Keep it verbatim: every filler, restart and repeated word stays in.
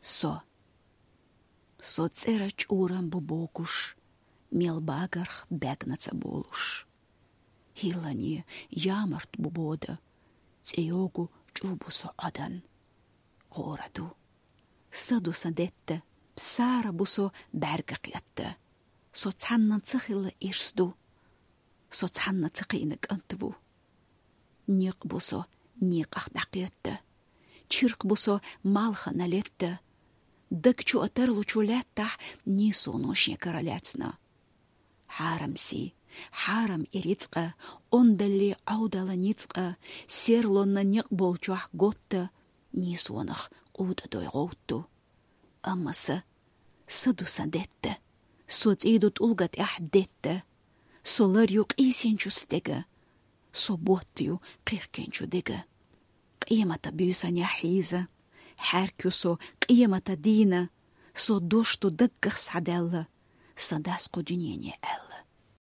Со. Со цӀера чӀурам бу бокуш, мел багарх бегна ца болуш. Хилани ямарт бу бода, цӀе йогу чӀу бу со Ӏадан. Гъора ду. Са ду сан детта, сара бу со бӀарга кхетта. Со цхьанна ца хилла ирс ду. Со цхьанна ца кхиъна кӀант ву. Некъ бу со некъах дӀакхетта. Чиркх бу со малхана летта. Даг чу а тарлучу лаьттахь нийсоно шен кара лаьцна. Хьарам си, хьарам и рицкъа, ондалли Ӏовдала ницкъа, серлонна некъ болчохь готта, нийсонах къутӀа дой гӀовтту. Амма са, са ду сан детта, со цӀий ду тӀулга тӀехь детта, со лар ю къийсинчу стега, со ботт ю кхихкинчу дега. Къемата буьйсанехь хьийза, хьаьрк ю со къемата дийна, со дош ду даггах схьадаьлла, сан дас кху дуьнене аьлла.